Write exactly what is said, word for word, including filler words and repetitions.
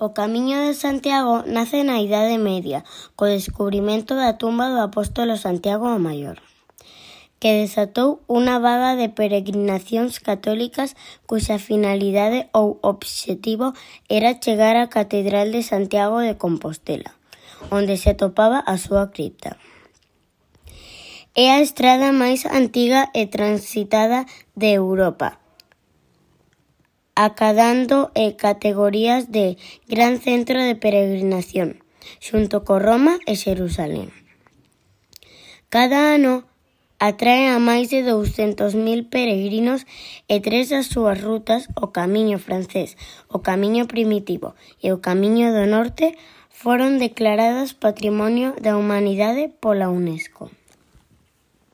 O Camiño de Santiago nace na Idade Media, co descubrimento da tumba do apóstolo Santiago o Maior, que desatou unha vaga de peregrinacións católicas cuxa finalidade ou obxectivo era chegar á Catedral de Santiago de Compostela, onde se atopaba a súa cripta. É a estrada máis antiga e transitada de Europa, acadando e categorías de Gran Centro de Peregrinación, xunto co Roma e Xerusalén. Cada ano atrae a máis de douscentos mil peregrinos e tres das súas rutas, o Camiño Francés, o Camiño Primitivo e o Camiño do Norte, foron declaradas Patrimonio da Humanidade pola UNESCO.